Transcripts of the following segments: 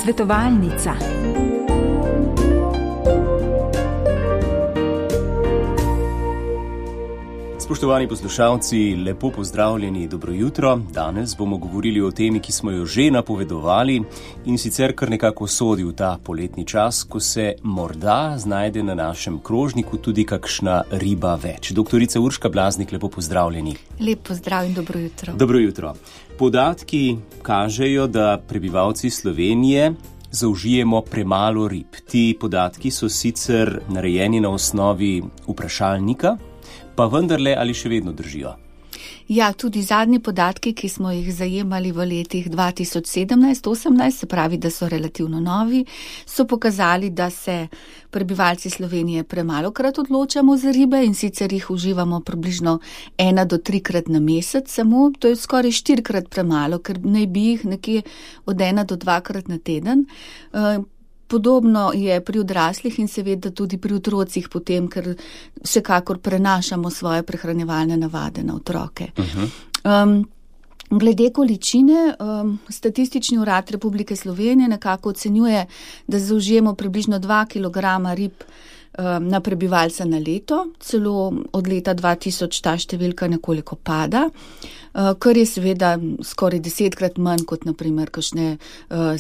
Svetovalnica. Spoštovani poslušalci, lepo pozdravljeni, dobro jutro. Danes bomo govorili o temi, ki smo jo že napovedovali in sicer kar nekako sodi v ta poletni čas, ko se morda znajde na našem krožniku tudi kakšna riba več. Doktorica Urška Blaznik, lepo pozdravljeni. Lep pozdrav in dobro jutro. Dobro jutro. Podatki kažejo, da prebivalci Slovenije zaužijemo premalo rib. Ti podatki so sicer narejeni na osnovi vprašalnika, pa vendarle ali še vedno držijo? Ja, tudi zadnji podatki, ki smo jih zajemali v letih 2017-18, se pravi, da so relativno novi, so pokazali, da se prebivalci Slovenije premalokrat odločamo za ribe in sicer jih uživamo približno 1 do 3 krat na mesec samo, to je skoraj 4 krat premalo, ker naj bi jih nekje od 1 do 2 krat na teden. Podobno je pri odraslih in seveda tudi pri otrocih potem, ker vsekakor prenašamo svoje prehranjevalne navade na otroke. Glede količine, Statistični urad Republike Slovenije nekako ocenjuje, da zaužijemo približno 2 kg rib na prebivalca na leto, celo od leta 2000 ta številka nekoliko pada, kar je seveda skoraj 10-krat manj kot naprimer kakšne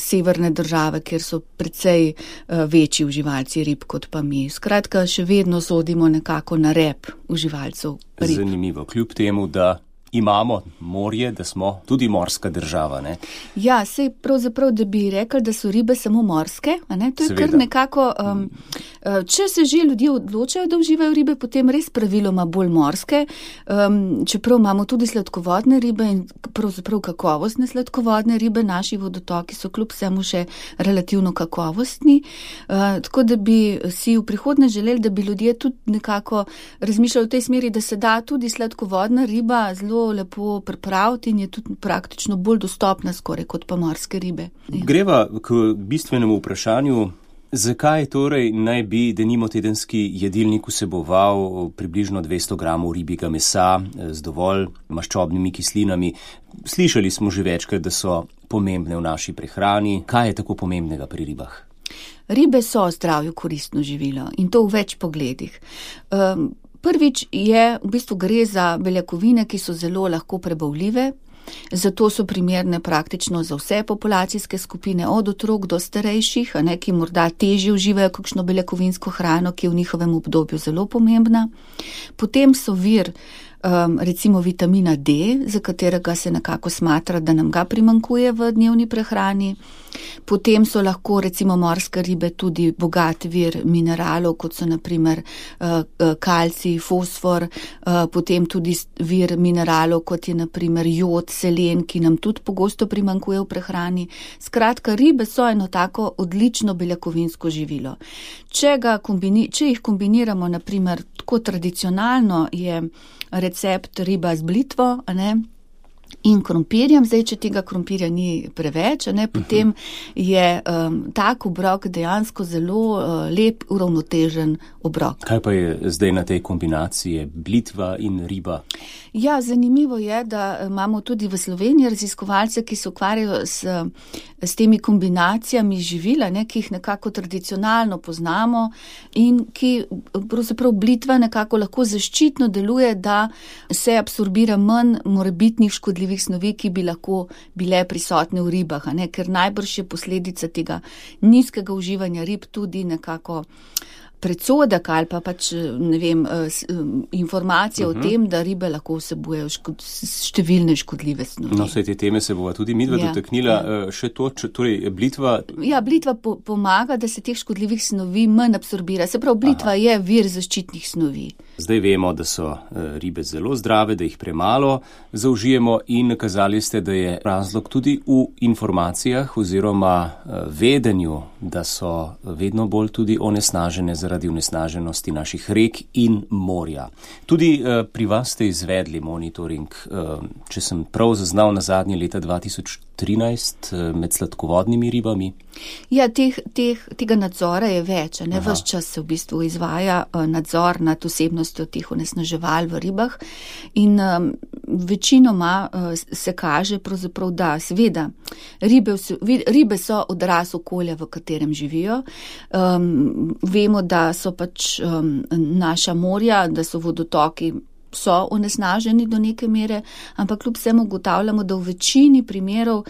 severne države, kjer so precej večji uživalci rib kot pa mi. Skratka, še vedno sodimo nekako na rep uživalcev rib. Zanimivo, kljub temu, da imamo morje, da smo tudi morska država, ne? Ja, sej pravzaprav, da bi rekli, da so ribe samo morske, a ne? To je seveda kar nekako, če se že ljudje odločajo, da uživajo ribe, potem res praviloma bolj morske, čeprav imamo tudi sladkovodne ribe in pravzaprav kakovostne sladkovodne ribe, naši vodotoki so kljub vsemu še relativno kakovostni, tako da bi si v prihodnje želeli, da bi ljudje tudi nekako razmišljali v tej smeri, da se da tudi sladkovodna riba zelo lepo pripraviti in je tudi praktično bolj dostopna skoraj kot pa morske ribe. Ja. Greva k bistvenemu vprašanju, zakaj torej naj bi denimo tedenski jedilnik vseboval približno 200 gramov ribjega mesa z dovolj maščobnimi kislinami. Slišali smo že večkrat, da so pomembne v naši prehrani. Kaj je tako pomembnega pri ribah? Ribe so zdravju koristno živilo in to v več pogledih. Prvič je, v bistvu gre za beljakovine, ki so zelo lahko prebavljive, zato so primerne praktično za vse populacijske skupine, od otrok do starejših, ki morda težje uživajo kakšno beljakovinsko hrano, ki je v njihovem obdobju zelo pomembna. Potem so vir recimo vitamina D, za katerega se nekako smatra, da nam ga primanjkuje v dnevni prehrani. Potem so lahko recimo morske ribe tudi bogat vir mineralov, kot so naprimer kalcij, fosfor, potem tudi vir mineralov, kot je naprimer jod, selen, ki nam tudi pogosto primanjkuje v prehrani. Skratka, ribe so eno tako odlično beljakovinsko živilo. Če jih kombiniramo naprimer tako tradicionalno, je recept riba z blitvo, in krompirjem, zdaj, če tega krompirja ni preveč, potem je tak obrok dejansko zelo lep, uravnotežen obrok. Kaj pa je zdaj na tej kombinaciji blitva in riba? Ja, zanimivo je, da imamo tudi v Sloveniji raziskovalce, ki se ukvarjajo s temi kombinacijami živila, ki jih nekako tradicionalno poznamo in ki pravzaprav blitva nekako lahko zaščitno deluje, da se absorbira manj morebitnih škodljivih snovi, ki bi lahko bile prisotne v ribah, ker najbrž je posledica tega nizkega uživanja rib tudi nekako predsodek ali pa informacija o tem, da ribe lahko vsebujejo številne škodljive snovi. No, vse te teme se bova tudi midva dotaknila. Še to, torej blitva? Ja, blitva pomaga, da se teh škodljivih snovi manj absorbira. Se pravi, blitva je vir zaščitnih snovi. Zdaj vemo, da so ribe zelo zdrave, da jih premalo zaužijemo in nakazali ste, da je razlog tudi v informacijah oziroma vedenju, da so vedno bolj tudi onesnažene zaradi onesnaženosti naših rek in morja. Tudi pri vas ste izvedli monitoring, če sem prav zaznal, na zadnje leta 2013 med sladkovodnimi ribami. Ja, tega nadzora je več, ves čas se v bistvu izvaja nadzor nad osebnostjo teh onesnaževal v ribah in večinoma se kaže pravzaprav, da seveda Ribe so odraz okolja, v katerem živijo. Vemo, da so pač naša morja, da so vodotoki so onesnaženi do neke mere, ampak kljub vsemu ugotavljamo, da v večini primerov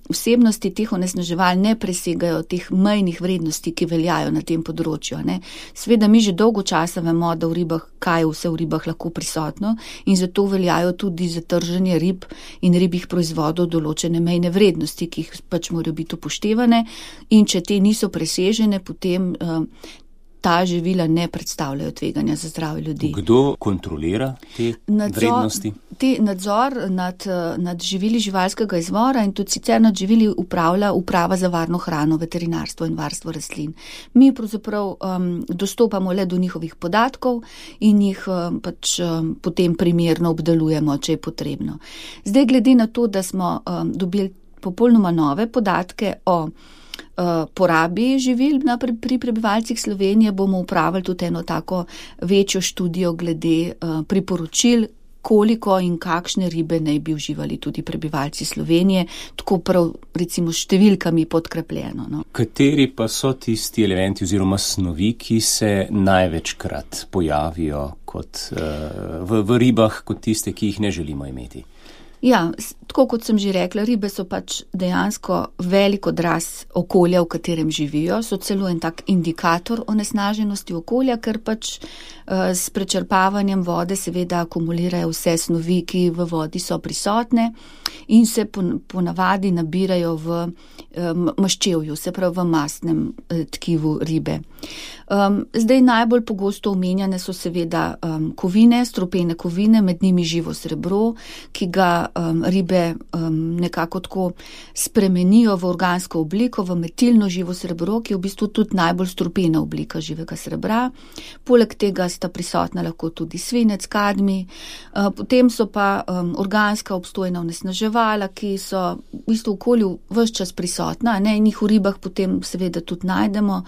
vsebnosti teh onesnaževal ne presegajo teh mejnih vrednosti, ki veljajo na tem področju. Seveda mi že dolgo časa vemo, da v ribah, kaj je vse v ribah lahko prisotno in zato veljajo tudi za trženje rib in ribjih proizvodov določene mejne vrednosti, ki jih pač morajo biti upoštevane in če te niso presežene, potem ta živila ne predstavljajo tveganja za zdravje ljudi. Kdo kontrolira te vrednosti? Nadzor nad živili živalskega izvora in tudi sicer nad živili upravlja Uprava za varno hrano, veterinarstvo in varstvo rastlin. Mi pravzaprav dostopamo le do njihovih podatkov in jih pač potem primerno obdelujemo, če je potrebno. Zdaj, glede na to, da smo dobili popolnoma nove podatke o porabi živil pri prebivalcih Slovenije, bomo upravili tudi eno tako večjo študijo glede priporočil, koliko in kakšne ribe naj bi uživali tudi prebivalci Slovenije, tako prav recimo številkami podkrepljeno. No. Kateri pa so tisti elementi oziroma snovi, ki se največkrat pojavijo v ribah kot tiste, ki jih ne želimo imeti? Ja, tako kot sem že rekla, ribe so pač dejansko velik odraz okolja, v katerem živijo, so celo en tak indikator onesnaženosti okolja, ker pač s prečrpavanjem vode seveda akumulirajo vse snovi, ki v vodi so prisotne in se ponavadi nabirajo v maščevju, se pravi v mastnem tkivu ribe. Zdaj najbolj pogosto omenjane so seveda kovine, strupene kovine, med njimi živo srebro, ki ga ribe nekako tako spremenijo v organsko obliko, v metilno živo srebro, ki je v bistvu tudi najbolj strupena oblika živega srebra. Poleg tega sta prisotna lahko tudi svinec, kadmij, potem so pa organska obstojna onesnaževala, ki so v bistvu v okolju ves čas prisotna, in jih v ribah potem seveda tudi najdemo.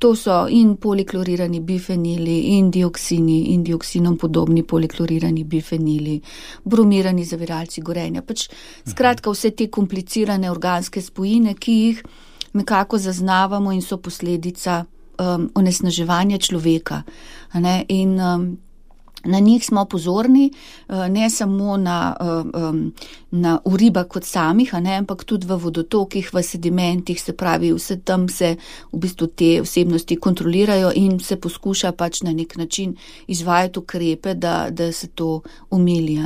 To so in poliklorirani bifenili, in dioksini, in dioksinom podobni poliklorirani bifenili, bromirani zaviralci gorenja. Pač skratka vse te komplicirane organske spojine, ki jih nekako zaznavamo in so posledica onesnaževanja človeka. In na njih smo pozorni, ne samo v ribah kot samih, ampak tudi v vodotokih, v sedimentih, se pravi, vse tam se v bistvu te vsebnosti kontrolirajo in se poskuša pač na nek način izvajati ukrepe, da se to omili.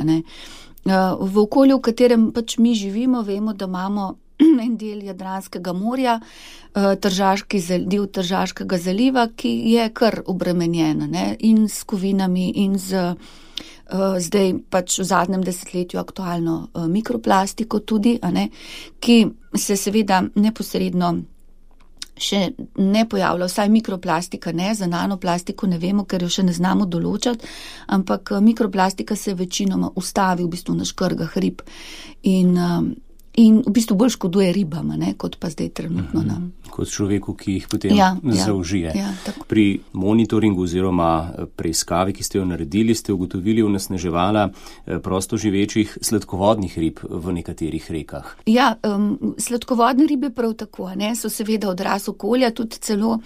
V okolju, v katerem pač mi živimo, vemo, da imamo en del Jadranskega morja, del Tržaškega zaliva, ki je kar obremenjen in s kovinami in zdaj pač v zadnjem desetletju aktualno mikroplastiko tudi, ki se seveda neposredno še ne pojavlja, vsaj mikroplastika ne, za nanoplastiko ne vemo, ker jo še ne znamo določati, ampak mikroplastika se večinoma ustavi v bistvu na škrgah rib in v bistvu bolj škoduje ribam, kot pa zdaj trenutno nam. Kot človeku, ki jih potem zaužije. Pri monitoringu oziroma preiskavi, ki ste jo naredili, ste ugotovili onesnaževala prostoživečih sladkovodnih rib v nekaterih rekah. Ja, sladkovodne ribe prav tako, so seveda odraz okolja, tudi celo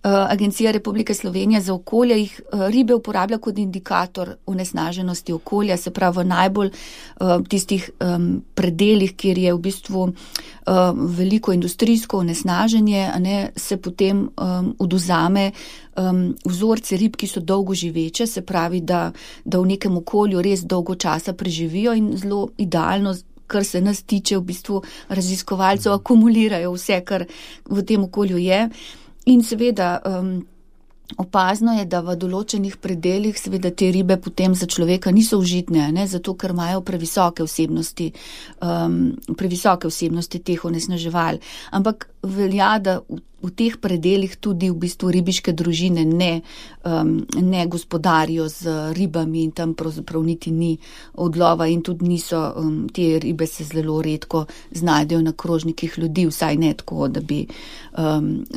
Agencija Republike Slovenije za okolje jih ribe uporablja kot indikator onesnaženosti okolja, se pravi v najbolj tistih predelih, kjer je v bistvu veliko industrijsko onesnaženje, se potem odvzame vzorce rib, ki so dolgo živeče, se pravi, da v nekem okolju res dolgo časa preživijo in zelo idealno, kar se nas tiče, v bistvu raziskovalcev akumulirajo vse, kar v tem okolju je. In seveda opazno je, da v določenih predelih seveda te ribe potem za človeka niso užitne, zato ker imajo previsoke vsebnosti teh onesnaževal. Ampak velja, da v teh predelih tudi v bistvu ribiške družine ne gospodarijo z ribami in tam pravzaprav niti ni odlova in tudi niso, te ribe se zelo redko znajdejo na krožnikih ljudi, vsaj ne tako, da bi,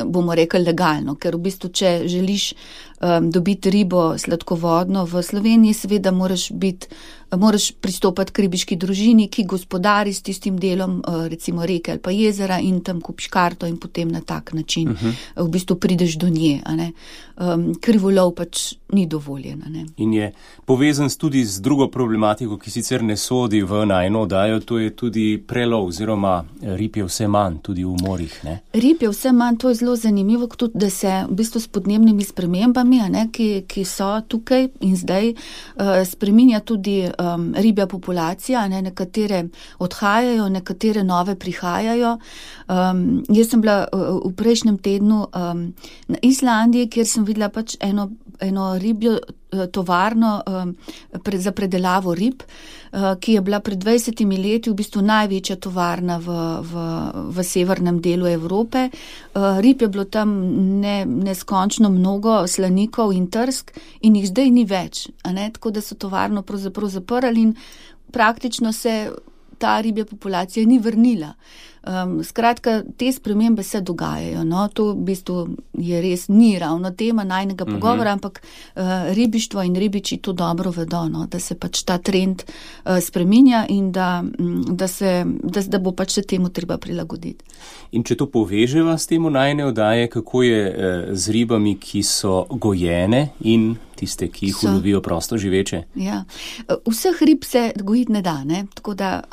bomo rekli, legalno, ker v bistvu, če želiš dobiti ribo sladkovodno. V Sloveniji seveda moraš pristopati k ribiški družini, ki gospodari s tistim delom, recimo reke ali pa jezera, in tam kupiš karto in potem na tak način v bistvu prideš do nje. A ne. Krivolov pač ni dovoljen. A ne. In je povezan tudi z drugo problematiko, ki sicer ne sodi v najno oddajo, to je tudi prelov oziroma rib je vse manj tudi v morjih. Ne? Rib je vse manj, to je zelo zanimivo, tudi da se v bistvu s podnebnimi spremembami, a ne, ki so tukaj in zdaj, spreminja tudi ribja populacija, ne, nekatere odhajajo, nekatere nove prihajajo. Jaz sem bila v prejšnjem tednu na Islandiji, kjer sem videla pač eno ribjo tovarno za predelavo rib, ki je bila pred 20 leti v bistvu največja tovarna v severnem delu Evrope. Rib je bilo tam neskončno mnogo, slanikov in trsk, in jih zdaj ni več. A ne? Tako da so tovarno pravzaprav zaprli in praktično se ta ribja populacija ni vrnila. Skratka, te spremembe se dogajajo. No? To v bistvu je res ni ravno tema najnega pogovora, ampak ribištvo in ribiči to dobro vedo, no? Da se pač ta trend spreminja in da bo pač se temu treba prilagoditi. In če to poveževa s temu najne oddaje, kako je z ribami, ki so gojene in tiste, ki jih ulovijo prosto živeče? Ja. Vseh rib se gojiti ne da, ne? Tako da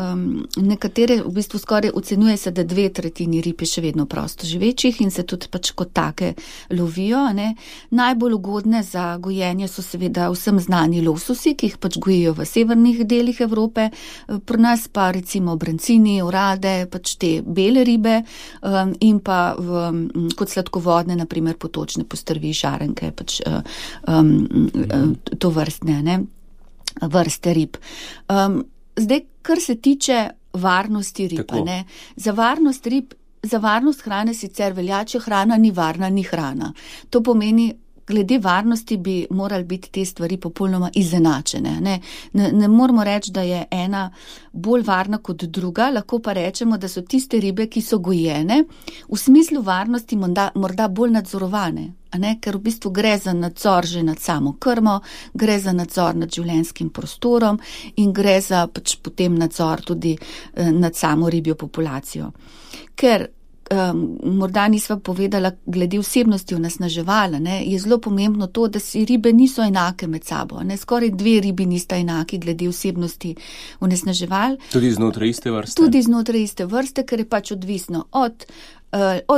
nekatere v bistvu skoraj ocenjuje se, da 2/3 rib je še vedno prosto živečih in se tudi pač kot take lovijo. Ne? Najbolj ugodne za gojenje so seveda vsem znani lososi, ki jih pač gojijo v severnih delih Evrope, pri nas pa recimo brancini, orade, pač te bele ribe in pa kot sladkovodne, naprimer potočne postrvi, šarenke, pač to vrstne, ne? Vrste rib. Zdaj, kar se tiče varnosti rib, ne? Za varnost hrane sicer velja, če hrana ni varna, ni hrana. To pomeni, glede varnosti bi morali biti te stvari popolnoma izenačene. Ne moramo reči, da je ena bolj varna kot druga, lahko pa rečemo, da so tiste ribe, ki so gojene, v smislu varnosti morda bolj nadzorovane. Ker v bistvu gre za nadzor že nad samo krmo, gre za nadzor nad življenjskim prostorom in gre za pač potem nadzor tudi nad samo ribjo populacijo. Ker morda nisva povedala glede vsebnosti onesnaževala, je zelo pomembno to, da si ribe niso enake med sabo. Skoraj 2 ribi nista enaki glede vsebnosti onesnaževal. Tudi znotraj iste vrste? Tudi znotraj iste vrste, ker je pač odvisno od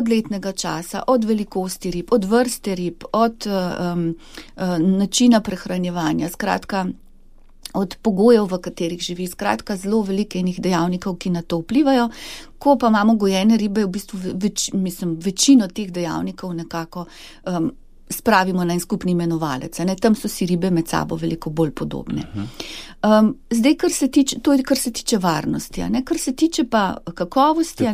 letnega časa, od velikosti rib, od vrste rib, od načina prehranjevanja, skratka, od pogojev, v katerih živi, skratka, zelo veliko enih dejavnikov, ki na to vplivajo. Ko pa imamo gojene ribe, v bistvu večino teh dejavnikov nekako spravimo na en skupni imenovalec. Tam so si ribe med sabo veliko bolj podobne. Zdaj, to je, kar se tiče varnosti. Kar se tiče pa kakovosti.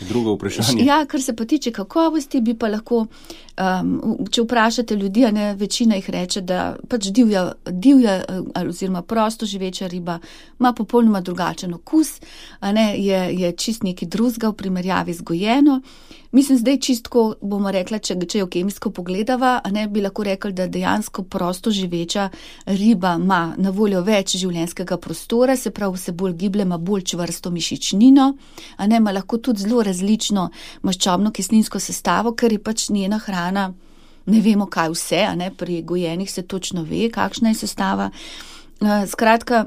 Drugo vprašanje. Ja, kar se pa tiče kakovosti, bi pa lahko, če vprašate ljudi, večina jih reče, da pač divja oziroma prosto živeča riba ima popolnoma drugačen okus, je čist nekaj drugega v primerjavi z gojeno. Mislim, zdaj čistko bomo rekla, če jo kemijsko pogledava, bi lahko rekli, da dejansko prosto živeča riba ima na voljo več življenjskega prostora, se pravi, se bolj giblje, ima bolj čvrsto mišičnino, ima lahko tudi zelo različno maščobno kislinsko sestavo, ker je pač njena hrana, ne vemo kaj vse, pri gojenih se točno ve, kakšna je sestava. Skratka,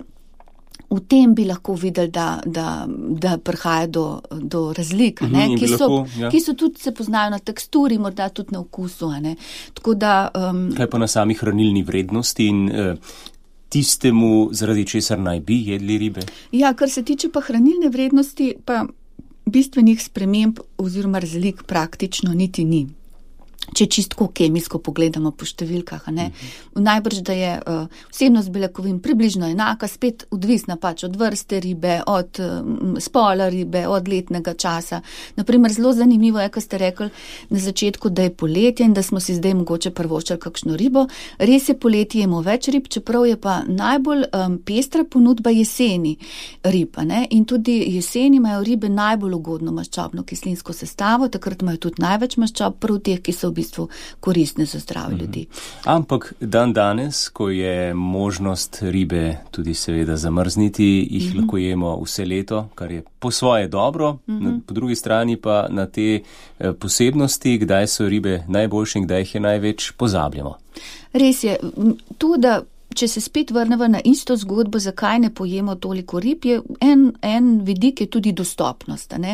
v tem bi lahko videli, da prihaja do razlik, ki so tudi se poznajo na teksturi, morda tudi na okusu. Tako da, kaj pa na sami hranilni vrednosti in tistemu, zaradi česar naj bi jedli ribe? Ja, kar se tiče pa hranilne vrednosti, pa bistvenih sprememb oziroma razlik praktično niti ni. Če čistko kemijsko pogledamo po številkah, najbrž, da je vsebnost beljakovin približno enaka, spet odvisna pač od vrste ribe, od spola ribe, od letnega časa. Naprimer, zelo zanimivo je, ko ste rekli na začetku, da je poletje in da smo si zdaj mogoče privoščili kakšno ribo. Res je, poletje jemo več rib, čeprav je pa najbolj pestra ponudba jeseni rib. In tudi jeseni imajo ribe najbolj ugodno maščobno kislinsko sestavo, takrat imajo tudi največ maščob, prav teh, ki so v v bistvu koristne za zdravje ljudi. Ampak danes, ko je možnost ribe tudi seveda zamrzniti, jih lahko jemo vse leto, kar je po svoje dobro, po drugi strani pa na te posebnosti, kdaj so ribe najboljše in kdaj jih je največ, pozabljamo. Res je, to, da če se spet vrnemo na isto zgodbo, zakaj ne pojemo toliko rib, je en vidik je tudi dostopnost. Ne?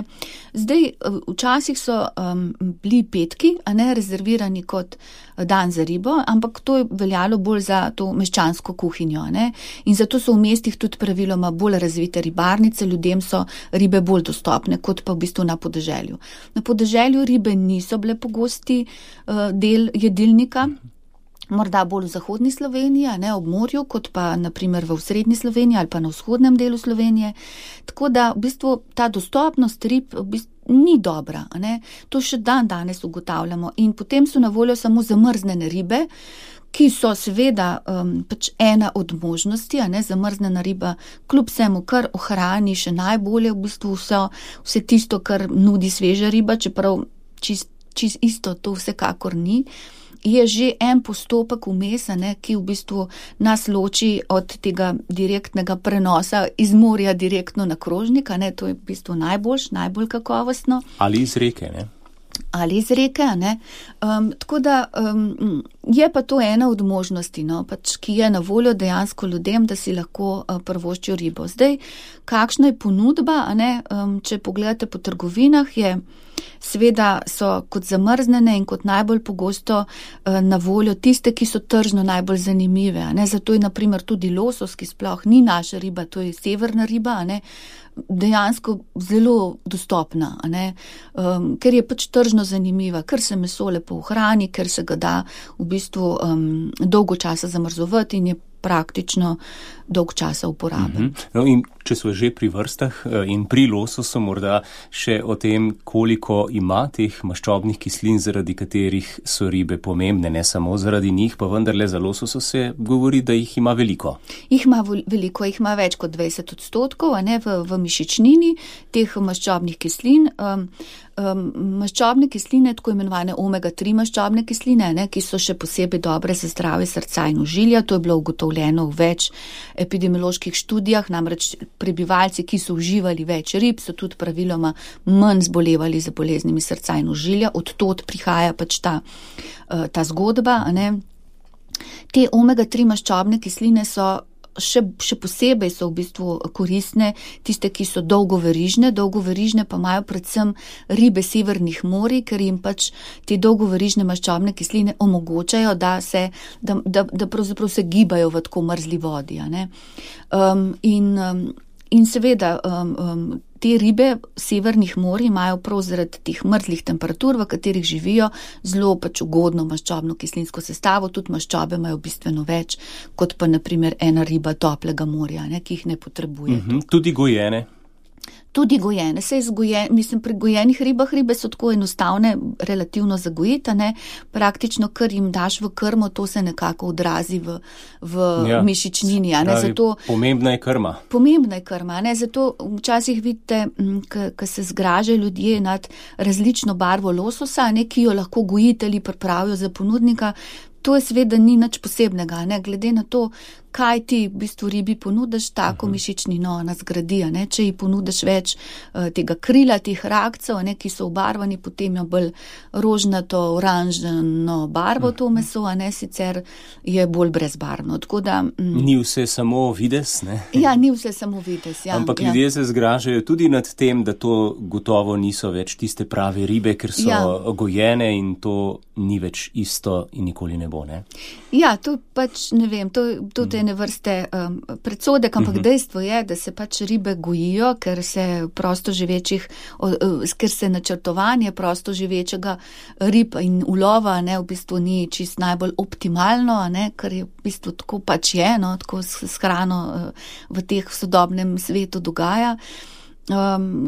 Zdaj, včasih so bili petki, rezervirani kot dan za ribo, ampak to je veljalo bolj za to meščansko kuhinjo. Ne? In zato so v mestih tudi praviloma bolj razvite ribarnice, ljudem so ribe bolj dostopne, kot pa v bistvu na podeželju. Na podeželju ribe niso bile pogosti del jedilnika, morda bolj v zahodni Sloveniji, ob morju, kot pa naprimer v srednji Sloveniji ali pa na vzhodnem delu Slovenije. Tako da v bistvu ta dostopnost rib v bistvu ni dobra. To še danes ugotavljamo. In potem so na voljo samo zamrznjene ribe, ki so seveda pač ena od možnosti, zamrznjena riba kljub vsemu, kar ohrani še najbolje v bistvu vse tisto, kar nudi sveža riba, čeprav čist isto to vsekakor ni. Je že en postopek vmes, ki v bistvu nas loči od tega direktnega prenosa iz morja direktno na krožnik, to je v bistvu najbolj kakovostno. Ali iz reke, ne? Ali iz reke, tako da je pa to ena od možnosti, ki je na voljo dejansko ljudem, da si lahko privoščijo ribo. Zdaj, kakšna je ponudba, če pogledate po trgovinah, seveda so kot zamrznjene in kot najbolj pogosto na voljo tiste, ki so tržno najbolj zanimive. Zato je naprimer tudi losos, ki sploh ni naša riba, to je severna riba, dejansko zelo dostopna, ker je pač tržno zanimiva, ker se meso lepo ohrani, ker se ga da v bistvu dolgo časa zamrzovati in je praktično dolg časa uporaben. No in če smo že pri vrstah in pri lososu, morda še o tem, koliko ima teh maščobnih kislin, zaradi katerih so ribe pomembne, ne samo zaradi njih, pa vendarle za lososa se govori, da jih ima veliko. Jih ima veliko, jih ima več kot 20% v mišičnini teh maščobnih kislin. Maščobne kisline, tako imenovane omega-3 maščobne kisline, ki so še posebej dobre za zdravje srca in ožilja. To je bilo ugotovljeno v več epidemioloških študijah, namreč prebivalci, ki so uživali več rib, so tudi praviloma manj zbolevali za boleznimi srca in ožilja. Od tod prihaja pač ta zgodba. Te omega-3 maščobne kisline so še posebej so v bistvu koristne tiste, ki so dolgoverižne pa imajo predvsem ribe severnih morij, ker jim pač te dolgoverižne maščobne kisline omogočajo, da pravzaprav se gibajo v tako mrzli vodi. In seveda te ribe severnih morij imajo prav zaradi teh mrzlih temperatur, v katerih živijo, zelo pač ugodno maščobno kislinsko sestavo, tudi maščobe imajo bistveno več, kot pa naprimer ena riba toplega morja, ki jih ne potrebuje. Tudi gojene. Tudi gojene, pri gojenih ribah, ribe so tako enostavne, relativno zagojiti, praktično, kar jim daš v krmo, to se nekako odrazi v mišičnini. Zato, pomembna je krma. Pomembna je krma, zato včasih vidite, ko se zgražajo ljudje nad različno barvo lososa, ki jo lahko gojitelji pripravijo za ponudnika. To je seveda ni nič posebnega, glede na to, kaj ti v bistvu ribi ponudiš, tako mišičnino nas gradi. Če ji ponudiš več tega krila, teh rakcev, ki so obarvani, potem jo bolj rožnato, oranžno barvo to meso, sicer je bolj brezbarvno. Ni vse samo videz, ne? Ja, ni vse samo videz, ja. Ampak ljudje se zgražajo tudi nad tem, da to gotovo niso več tiste prave ribe, ker so gojene in to ni več isto in nikoli ne bo, ne? Ja, to pač ne vem, to ene vrste predsodek, ampak dejstvo je, da se pač ribe gojijo, ker se načrtovanje prosto živečega rib in ulova v bistvu ni čist najbolj optimalno, ker je v bistvu tako pač je, tako s hrano v teh sodobnem svetu dogaja.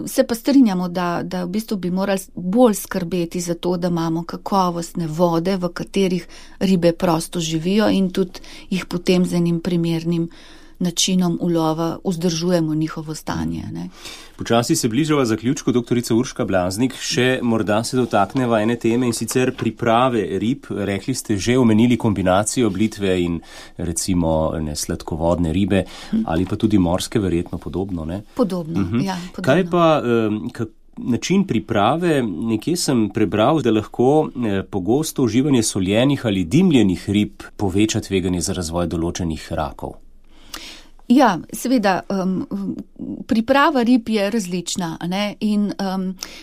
Se pa strinjamo, da v bistvu bi morali bolj skrbeti za to, da imamo kakovostne vode, v katerih ribe prosto živijo in tudi jih potem z enim primernim načinom ulova vzdržujemo njihovo stanje. Ne. Počasi se bližava zaključku, doktorica Urška Blaznik, še morda se dotakneva ene teme in sicer priprave rib. Rekli ste, že omenili kombinacijo blitve in recimo sladkovodne ribe ali pa tudi morske, verjetno podobno, ne? Podobno, ja. Podobno. Kaj pa način priprave? Nekje sem prebral, da lahko pogosto uživanje soljenih ali dimljenih rib poveča tveganje za razvoj določenih rakov. Ja, seveda, priprava rib je različna, ne? In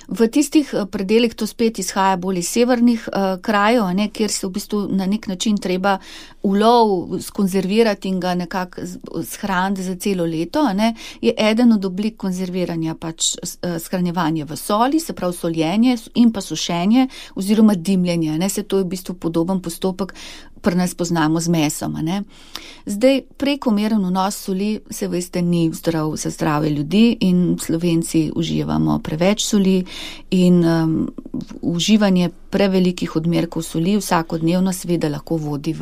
v tistih predelih to spet izhaja bolj iz severnih krajev, ne? Kjer se v bistvu na nek način treba ulov skonzervirati in ga nekako shraniti za celo leto, ne? Je eden od oblik konzerviranja pač shranjevanje v soli, se pravi soljenje in pa sušenje oziroma dimljenje, ne? Se to je v bistvu podoben postopek, pri nas poznamo z mesom, ne. Zdaj, prekomeren vnos soli, se veste, ni zdrav za zdravje ljudi in Slovenci uživamo preveč soli in uživanje prevelikih odmerkov soli vsakodnevno seveda lahko vodi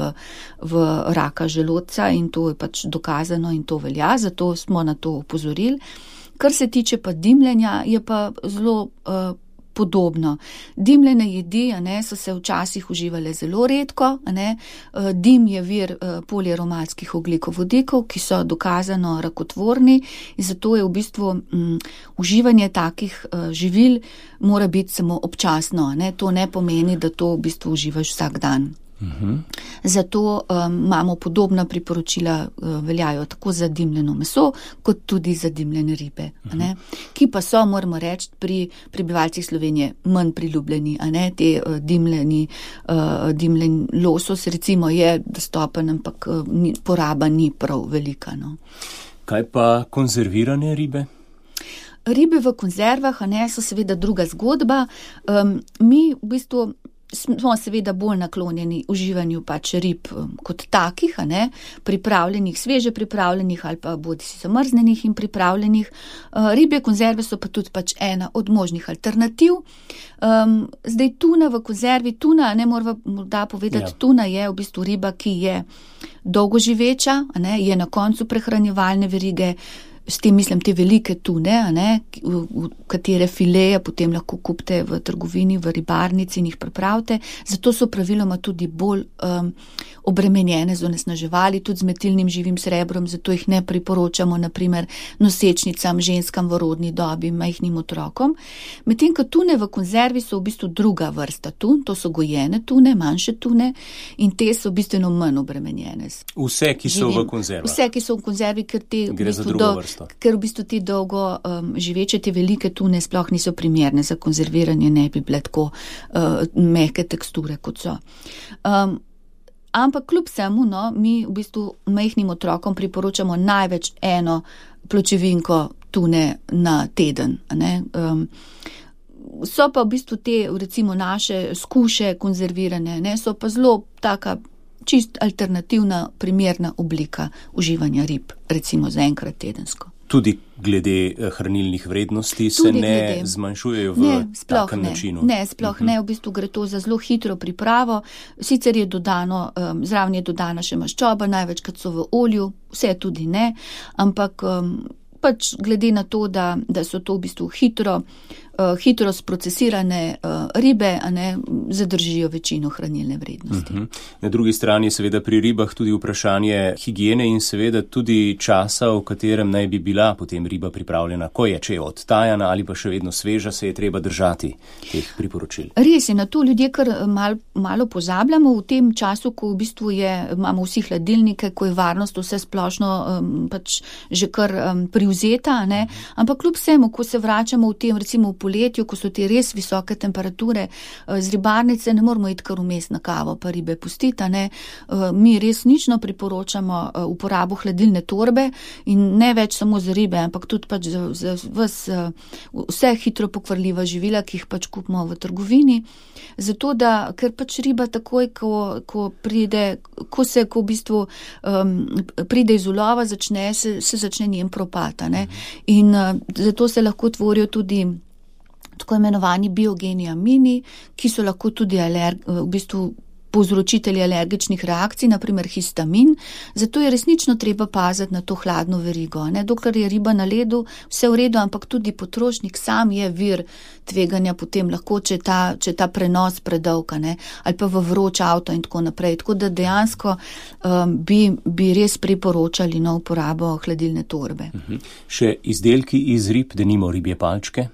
v raka želodca in to je pač dokazano in to velja, zato smo na to opozorili. Kar se tiče pa dimljenja, je pa zelo podobno. Dimljene jedi, so se včasih uživale zelo redko, dim je vir poliaromatskih ogljikovodikov, ki so dokazano rakotvorni in zato je v bistvu uživanje takih živil mora biti samo občasno, To ne pomeni, da to v bistvu uživaš vsak dan. Zato imamo podobna priporočila, veljajo tako za dimljeno meso, kot tudi za dimljene ribe, ki pa so, moramo reči, pri prebivalcih Slovenije manj priljubljeni, te dimljen losos recimo je dostopen, ampak poraba ni prav velika. Kaj pa konzervirane ribe? Ribe v konzervah, so seveda druga zgodba. Mi v bistvu smo seveda bolj naklonjeni uživanju pač rib kot takih, pripravljenih, sveže pripravljenih ali pa bodisi zamrznenih in pripravljenih. Ribje konzerve so pa tudi pač ena od možnih alternativ. Zdaj tuna v konzervi, morda povedati, tuna je v bistvu riba, ki je dolgoživeča, je na koncu prehranjevalne verige. S tem mislim te velike tune, v katere fileje potem lahko kupite v trgovini, v ribarnici in jih pripravite. Zato so praviloma tudi bolj obremenjene z onesnaževali, tudi z metilnim živim srebrom, zato jih ne priporočamo naprimer nosečnicam, ženskam v rodni dobi, majhnim otrokom. Medtem ko tune v konzervi so v bistvu druga vrsta tun, to so gojene tune, manjše tune in te so bistveno manj obremenjene. Vse, ki so v konzervi? Vse, ki so v konzervi, ker te gre za drugo vrsto. Ker v bistvu te dolgo živeče, te velike tune sploh niso primerne za konzerviranje, ne bi bile tako mehke teksture, kot so. Ampak kljub vsemu, mi v bistvu majhnim otrokom priporočamo največ eno pločevinko tune na teden, So pa v bistvu te, recimo naše skuše konzervirane, so pa zelo taka čist alternativna, primerna oblika uživanja rib, recimo za enkrat tedensko. Tudi glede hranilnih vrednosti se ne zmanjšujejo v takem načinu? Ne, sploh ne, v bistvu gre to za zelo hitro pripravo, sicer je dodano, zraven je dodana še maščoba, največkrat so v olju, vse tudi ne, ampak pač glede na to, da so to v bistvu hitro sprocesirane ribe, zadržijo večino hranilne vrednosti. Na drugi strani je seveda pri ribah tudi vprašanje higiene in seveda tudi časa, v katerem naj bi bila potem riba pripravljena, ko je, če je odtajana ali pa še vedno sveža, se je treba držati teh priporočil. Res je, na to ljudje kar malo pozabljamo v tem času, ko v bistvu imamo vsi hladilnike, ko je varnost vse splošno pač že kar privzeta, ampak kljub vsemu, ko se vračamo v tem, recimo v poletju, ko so te res visoke temperature, z ribarnice ne moramo iti kar vmes na kavo, pa ribe pustiti, Mi resnično priporočamo uporabo hladilne torbe in ne več samo za ribe, ampak tudi pač za vse hitro pokvarljiva živila, ki jih pač kupimo v trgovini. Zato, ker pač riba takoj, ko v bistvu pride iz ulova, se začne njen propad, In zato se lahko tvorijo tudi tako imenovani biogeni amini, ki so lahko tudi v bistvu povzročitelji alergičnih reakcij, naprimer histamin, zato je resnično treba paziti na to hladno verigo. Dokler je riba na ledu, vse v redu, ampak tudi potrošnik sam je vir tveganja potem lahko, če ta prenos predolg, ali pa v vroč avto in tako naprej. Tako da dejansko bi res priporočali uporabo hladilne torbe. Še izdelki iz rib, denimo ribje palčke?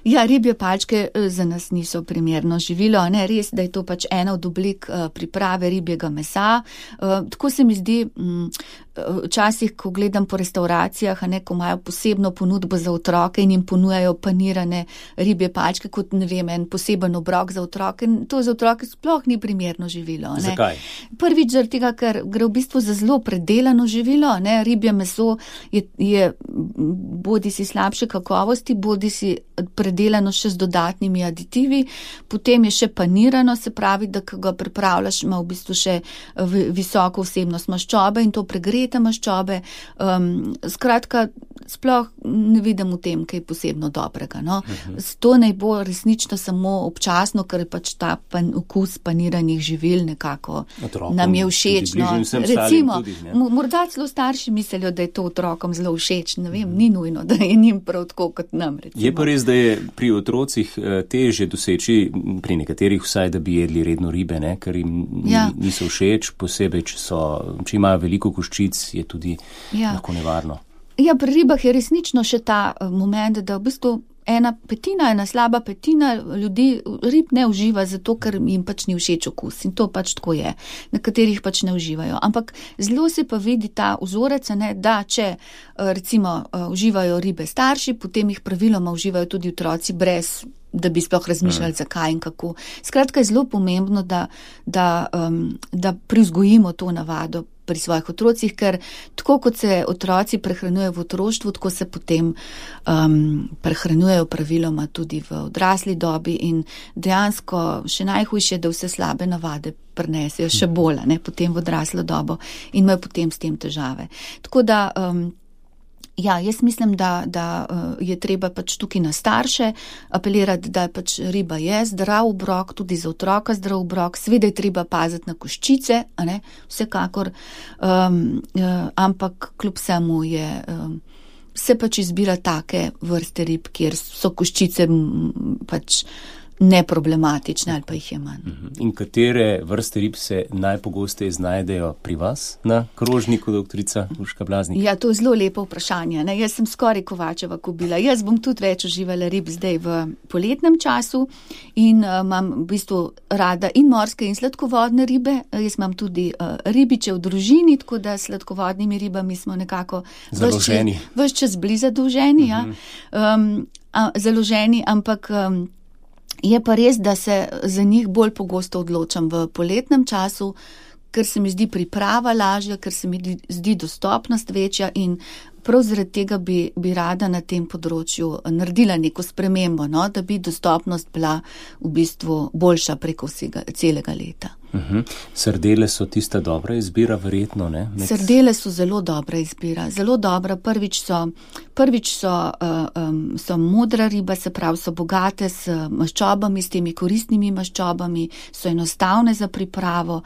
Ja, ribje palčke za nas niso primerno živilo, res, da je to pač ena od oblik priprave ribjega mesa. Tako se mi zdi, včasih, ko gledam po restauracijah, ko imajo posebno ponudbo za otroke in jim ponujajo panirane ribje palčke kot, en poseben obrok za otroke. To za otroke sploh ni primerno živilo. Zakaj? Prvič zaradi tega, ker gre v bistvu za zelo predelano živilo. Ribje meso je bodi si slabše kakovosti, bodi si predelano še z dodatnimi aditivi, potem je še panirano, se pravi, da ko ga pripravljaš, ima v bistvu še visoko vsebnost maščobe in to pregrete maščobe. Skratka, sploh ne vidim v tem kaj posebno dobrega. To naj bo resnično samo občasno, ker je pač ta okus paniranih živil nekako otrokom nam je všeč. Recimo, morda celo starši mislijo, da je to otrokom zelo všeč, ne vem, ni nujno, da je njim prav tako kot nam. Recimo. Je pa res, da je pri otrocih težje doseči, pri nekaterih vsaj, da bi jedli redno ribe, ker jim niso všeč, posebej, če imajo veliko koščic, je tudi lahko nevarno. Ja, pri ribah je resnično še ta moment, da v bistvu ena slaba petina ljudi rib ne uživa, zato ker jim pač ni všeč okus in to pač tako je. Nekaterih pač ne uživajo. Ampak zelo se pa vidi ta vzorec, da če recimo uživajo ribe starši, potem jih praviloma uživajo tudi otroci brez da bi sploh razmišljali, zakaj in kako. Skratka, je zelo pomembno, da privzgojimo to navado pri svojih otrocih, ker tako kot se otroci prehranjujejo v otroštvu, tako se potem prehranjujejo praviloma tudi v odrasli dobi in dejansko še najhujše, da vse slabe navade prinesejo še bolj, potem v odraslo dobo in imajo potem s tem težave. Tako da jaz mislim, da je treba pač tukaj na starše apelirati, da pač riba je zdrav obrok, tudi za otroka zdrav obrok, seveda je treba paziti na koščice, vsekakor, ampak kljub vsemu se pač izbira take vrste rib, kjer so koščice pač neproblematične ali pa jih je manj. In katere vrste rib se najpogosteje znajdejo pri vas na krožniku, doktorica Urška Blaznik? Ja, to je zelo lepo vprašanje. Jaz sem skoraj Kovačeva kobila. Jaz bom tudi več uživala rib zdaj v poletnem času in imam v bistvu rada in morske in sladkovodne ribe. Jaz imam tudi ribiče v družini, tako da s sladkovodnimi ribami smo nekako ves čas bili zadolženi, založeni, ampak je pa res, da se za njih bolj pogosto odločam v poletnem času, ker se mi zdi priprava lažja, ker se mi zdi dostopnost večja in prav zaradi tega bi rada na tem področju naredila neko spremembo, da bi dostopnost bila v bistvu boljša preko celega leta. Sardele so tista dobra izbira, verjetno, ne? Sardele so zelo dobra izbira, zelo dobra. Prvič so modra riba, se pravi, so bogate s maščobami, s temi koristnimi maščobami, so enostavne za pripravo,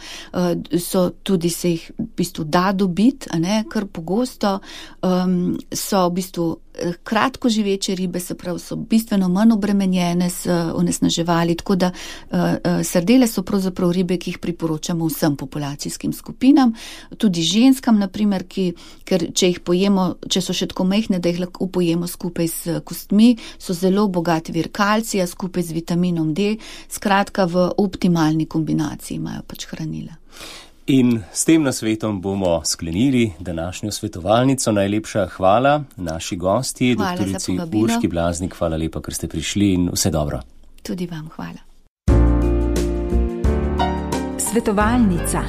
so tudi se jih v bistvu da dobiti, kar pogosto, so v bistvu kratko živeče ribe, se pravi, so bistveno manj obremenjene s onesnaževali, tako da sardele so pravzaprav ribe, ki jih priporočamo vsem populacijskim skupinam, tudi ženskam, naprimer, ker če jih pojemo, če so še tako majhne, da jih lahko pojemo skupaj s kostmi, so zelo bogat vir kalcija skupaj z vitaminom D, skratka v optimalni kombinaciji imajo pač hranila. In s tem nasvetom bomo sklenili današnjo svetovalnico. Najlepša hvala naši gosti, doktorici Urški Blaznik. Hvala lepa, ker ste prišli in vse dobro. Tudi vam hvala. Svetovalnica.